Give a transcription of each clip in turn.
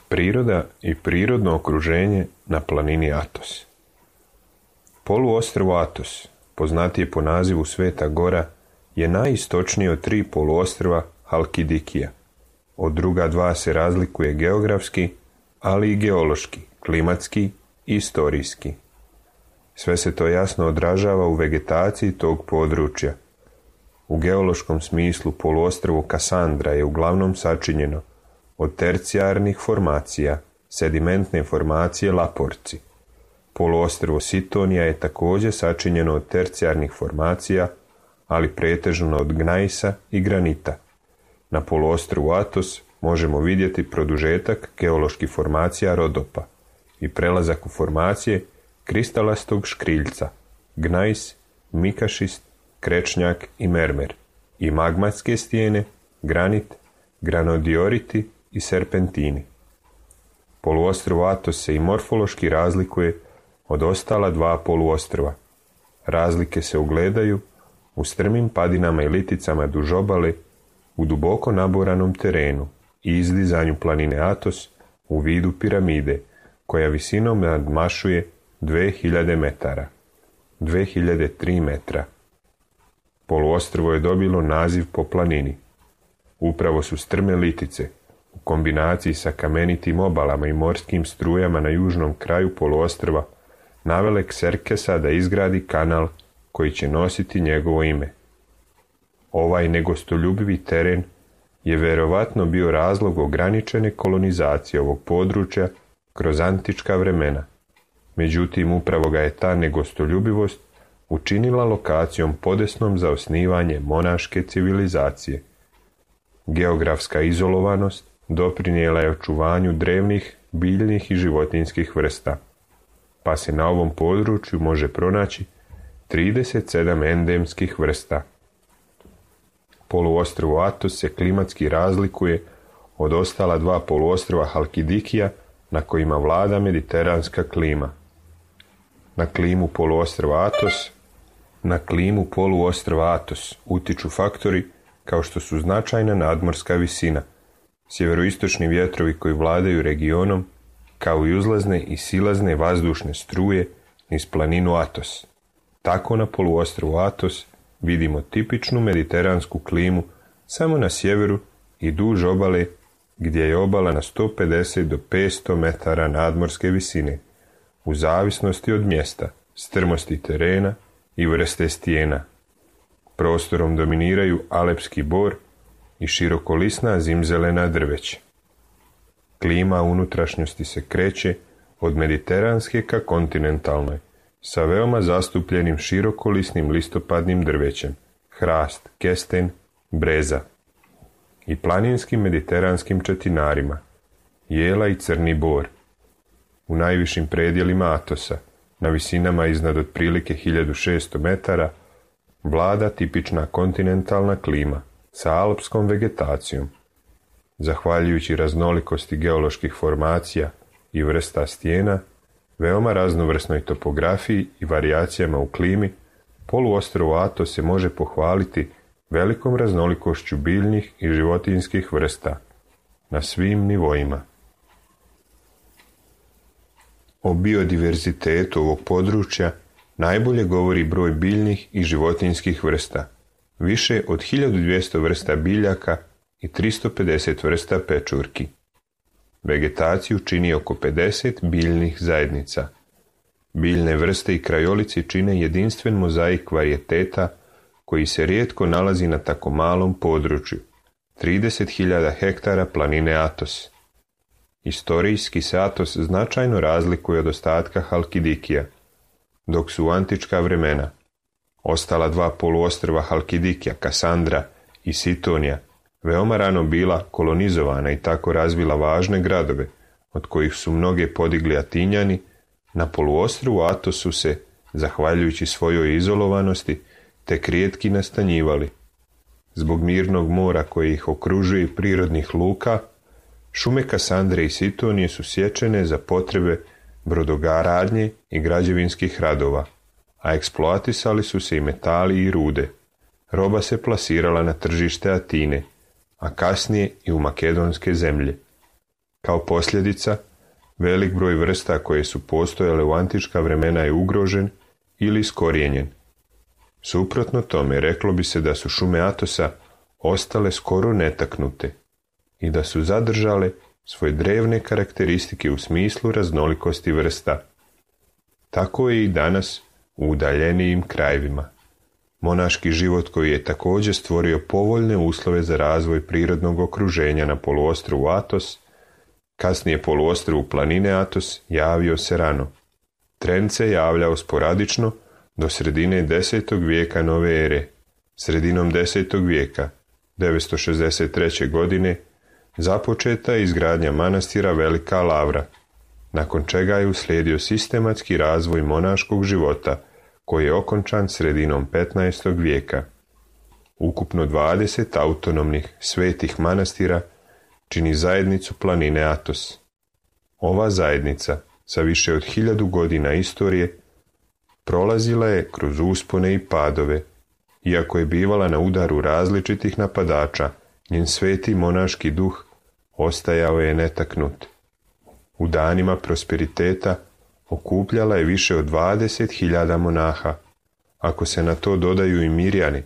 Priroda i prirodno okruženje na planini Atos. Poluostrvo Atos, poznatije po nazivu Sveta Gora, je najistočnije od 3 poluostrva Halkidikija. Od druga 2 se razlikuje geografski, ali i geološki, klimatski i istorijski. Sve se to jasno odražava u vegetaciji tog područja. U geološkom smislu poluostrvo Kasandra je uglavnom sačinjeno od tercijarnih formacija, sedimentne formacije Laporci. Poluostrvo Sitonija je također sačinjeno od tercijarnih formacija, ali pretežno od gnajsa i granita. Na poluostrvu Atos možemo vidjeti produžetak geoloških formacija Rodopa i prelazak u formacije kristalastog škriljca, gnajs, mikašist, krečnjak i mermer, i magmatske stijene, granit, granodioriti i serpentini. Poluostrvo Atos se i morfološki razlikuje od ostala 2 poluostrva. Razlike se ugledaju u strmim padinama i liticama duž obale, u duboko naboranom terenu i izdizanju planine Atos u vidu piramide, koja visinom nadmašuje 2000 metara, 2003 metra. Poluostrvo je dobilo naziv po planini. Upravo su strme litice, u kombinaciji sa kamenitim obalama i morskim strujama na južnom kraju poluostrva, navele Kserkesa da izgradi kanal koji će nositi njegovo ime. Ovaj negostoljubivi teren je vjerovatno bio razlog ograničene kolonizacije ovog područja kroz antička vremena. Međutim, upravo ga je ta negostoljubivost učinila lokacijom podesnom za osnivanje monaške civilizacije. Geografska izolovanost doprinijela je očuvanju drevnih biljnih i životinjskih vrsta, pa se na ovom području može pronaći 37 endemskih vrsta. Poluostrvo Atos se klimatski razlikuje od ostala 2 poluostrva Halkidikija na kojima vlada mediteranska klima. Na klimu poluostrva Atos utiču faktori kao što su značajna nadmorska visina, sjeveroistočni vjetrovi koji vladaju regionom, kao i uzlazne i silazne vazdušne struje niz planinu Atos. Tako na poluostrvu Atos vidimo tipičnu mediteransku klimu samo na sjeveru i duž obale, gdje je obala na 150 do 500 metara nadmorske visine, u zavisnosti od mjesta, strmosti terena i vrste stijena. Prostorom dominiraju alepski bor i širokolisna zimzelena drveća. Klima unutrašnjosti se kreće od mediteranske ka kontinentalnoj, sa veoma zastupljenim širokolisnim listopadnim drvećem, hrast, kesten, breza, i planinskim mediteranskim četinarima, jela i crni bor. U najvišim predjelima Atosa, na visinama iznad otprilike 1600 metara, vlada tipična kontinentalna klima sa alpskom vegetacijom. Zahvaljujući raznolikosti geoloških formacija i vrsta stijena, veoma raznovrsnoj topografiji i varijacijama u klimi, poluostrvo Atos se može pohvaliti velikom raznolikošću biljnih i životinjskih vrsta na svim nivoima. O biodiverzitetu ovog područja najbolje govori broj biljnih i životinjskih vrsta, više od 1200 vrsta biljaka i 350 vrsta pečurki. Vegetaciju čini oko 50 biljnih zajednica. Biljne vrste i krajolici čine jedinstven mozaik varijeteta koji se rijetko nalazi na tako malom području, 30.000 hektara planine Atos. Istorijski se Atos značajno razlikuje od ostatka Halkidikija, dok su u antička vremena ostala dva poluostrva Halkidikija, Kasandra i Sitonija, veoma rano bila kolonizovana i tako razvila važne gradove, od kojih su mnoge podigli Atinjani. Na poluostrvu Atosu se, zahvaljujući svojoj izolovanosti, tek rijetki nastanjivali. Zbog mirnog mora koje ih okružuje i prirodnih luka, šume Kasandre i Sitonije su sječene za potrebe brodogaradnje i građevinskih radova, a eksploatisali su se i metali i rude. Roba se plasirala na tržište Atine, a kasnije i u makedonske zemlje. Kao posljedica, velik broj vrsta koje su postojale u antička vremena je ugrožen ili iskorijenjen. Suprotno tome, reklo bi se da su šume Atosa ostale skoro netaknute i da su zadržale svoje drevne karakteristike u smislu raznolikosti vrsta. Tako je i danas u udaljenijim krajevima. Monaški život koji je također stvorio povoljne uslove za razvoj prirodnog okruženja na poluostrvu Atos, kasnije poluostrvu planine Atos, javio se rano. Trend se javljao sporadično do sredine 10. vijeka nove ere. Sredinom 10. vijeka, 963. godine, započeta je izgradnja manastira Velika Lavra, nakon čega je uslijedio sistematski razvoj monaškog života, koji je okončan sredinom 15. vijeka. Ukupno 20 autonomnih svetih manastira čini zajednicu planine Atos. Ova zajednica, sa više od 1000 godina istorije, prolazila je kroz uspone i padove. Iako je bivala na udaru različitih napadača, njen sveti monaški duh ostajao je netaknut. U danima prosperiteta okupljala je više od 20.000 monaha. Ako se na to dodaju i Mirjani,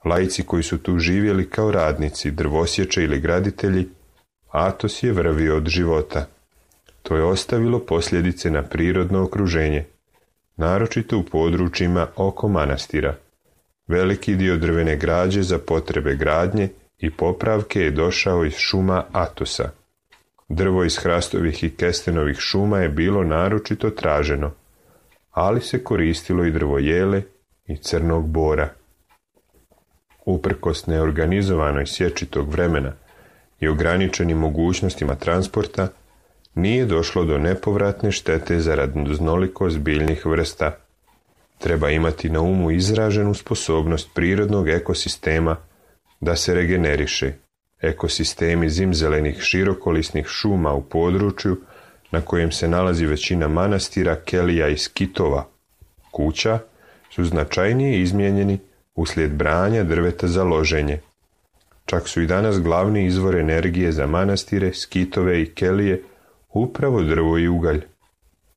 laici koji su tu živjeli kao radnici, drvosječe ili graditelji, Atos je vrvio od života. To je ostavilo posljedice na prirodno okruženje, naročito u područjima oko manastira. Veliki dio drvene građe za potrebe gradnje i popravke je došao iz šuma Atosa. Drvo iz hrastovih i kestenovih šuma je bilo naročito traženo, ali se koristilo i drvo jele i crnog bora. Uprkos neorganizovanoj sječi tog vremena i ograničenim mogućnostima transporta, nije došlo do nepovratne štete za raznolikost biljnih vrsta. Treba imati na umu izraženu sposobnost prirodnog ekosistema da se regeneriše. Ekosistemi zimzelenih širokolisnih šuma u području na kojem se nalazi većina manastira, kelija i skitova, kuća, su značajnije izmijenjeni uslijed branja drveta za loženje. Čak su i danas glavni izvor energije za manastire, skitove i kelije upravo drvo i ugalj.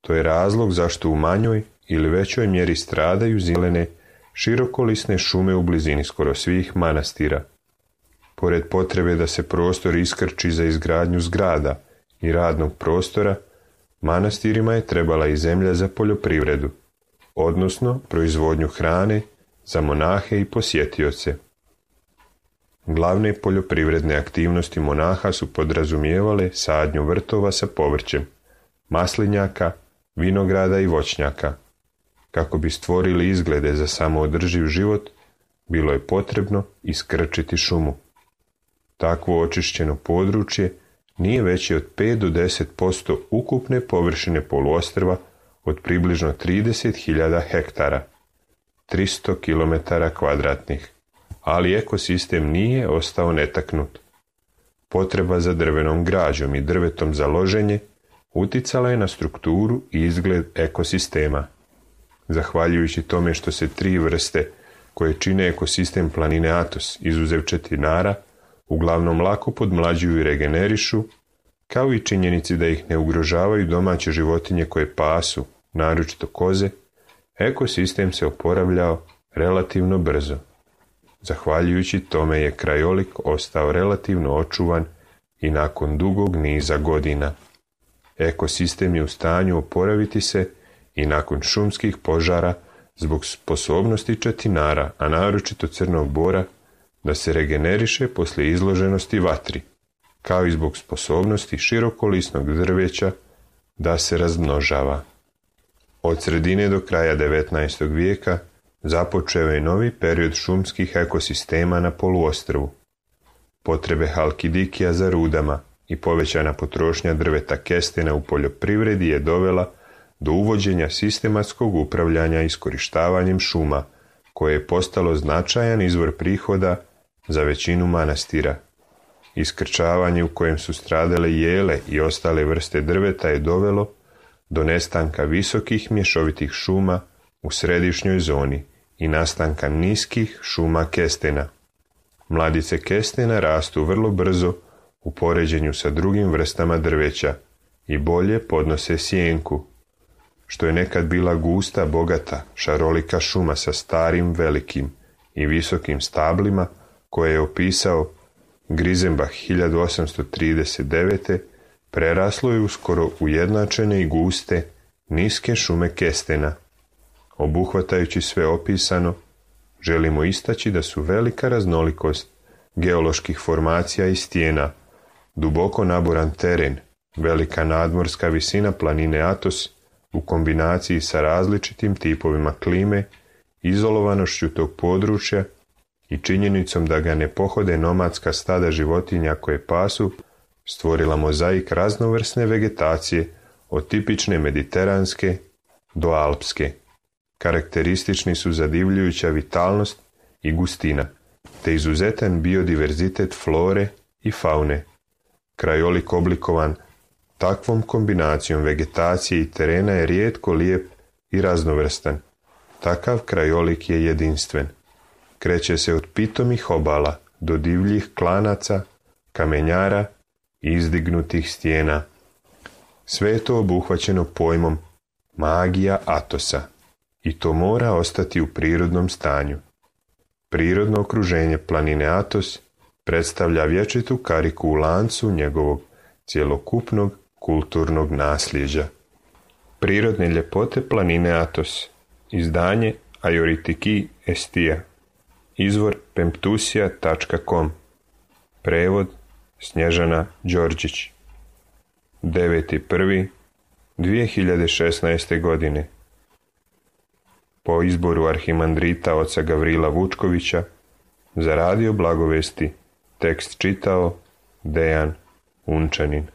To je razlog zašto u manjoj ili većoj mjeri stradaju zelene, širokolisne šume u blizini skoro svih manastira. Pored potrebe da se prostor iskrči za izgradnju zgrada i radnog prostora, manastirima je trebala i zemlja za poljoprivredu, odnosno proizvodnju hrane za monahe i posjetioce. Glavne poljoprivredne aktivnosti monaha su podrazumijevale sadnju vrtova sa povrćem, maslinjaka, vinograda i voćnjaka. Kako bi stvorili izglede za samoodrživ život, bilo je potrebno iskrčiti šumu. Takvo očišćeno područje nije veće od 5 do 10% ukupne površine poluostrva od približno 30.000 hektara, 300 km², ali ekosistem nije ostao netaknut. Potreba za drvenom građom i drvetom za loženje uticala je na strukturu i izgled ekosistema. Zahvaljujući tome što se 3 vrste koje čine ekosistem planine Atos, izuzev četinara, uglavnom lako podmlađuju i regenerišu, kao i činjenici da ih ne ugrožavaju domaće životinje koje pasu, naročito koze, ekosistem se oporavljao relativno brzo. Zahvaljujući tome je krajolik ostao relativno očuvan i nakon dugog niza godina. Ekosistem je u stanju oporaviti se i nakon šumskih požara zbog sposobnosti četinara, a naročito crnog bora, da se regeneriše poslije izloženosti vatri, kao i zbog sposobnosti širokolisnog drveća da se razmnožava. Od sredine do kraja 19. vijeka započeo je novi period šumskih ekosistema na poluostrvu. Potrebe Halkidikija za rudama i povećana potrošnja drveta kestena u poljoprivredi je dovela do uvođenja sistematskog upravljanja iskorištavanjem šuma, koje je postalo značajan izvor prihoda za većinu manastira. Iskrčavanje u kojem su stradale jele i ostale vrste drveta je dovelo do nestanka visokih mješovitih šuma u središnjoj zoni i nastanka niskih šuma kestena. Mladice kestena rastu vrlo brzo u poređenju sa drugim vrstama drveća i bolje podnose sjenku, što je nekad bila gusta, bogata, šarolika šuma sa starim, velikim i visokim stablima koje je opisao Grizenbach 1839. preraslo je uskoro ujednačene i guste, niske šume kestena. Obuhvatajući sve opisano, želimo istaći da su velika raznolikost geoloških formacija i stijena, duboko naboran teren, velika nadmorska visina planine Atos u kombinaciji sa različitim tipovima klime, izolovanošću tog područja i činjenicom da ga ne pohode nomadska stada životinja koje pasu, stvorila mozaik raznovrsne vegetacije od tipične mediteranske do alpske. Karakteristični su zadivljujuća vitalnost i gustina, te izuzetan biodiverzitet flore i faune. Krajolik oblikovan takvom kombinacijom vegetacije i terena je rijetko lijep i raznovrstan. Takav krajolik je jedinstven. Kreće se od pitomih obala do divljih klanaca, kamenjara i izdignutih stijena. Sve je to obuhvaćeno pojmom magija Atosa i to mora ostati u prirodnom stanju. Prirodno okruženje planine Atos predstavlja vječitu kariku u lancu njegovog cjelokupnog kulturnog nasljeđa. Prirodne ljepote planine Atos. Izdanje Ajoritiki Estija. Izvor pemptusija.com. Prevod Snježana Đorđić. 9.1.2016. godine. Po izboru arhimandrita oca Gavrila Vučkovića za Radio Blagovesti tekst čitao Dejan Unčanin.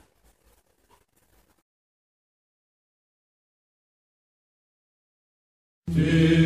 Ti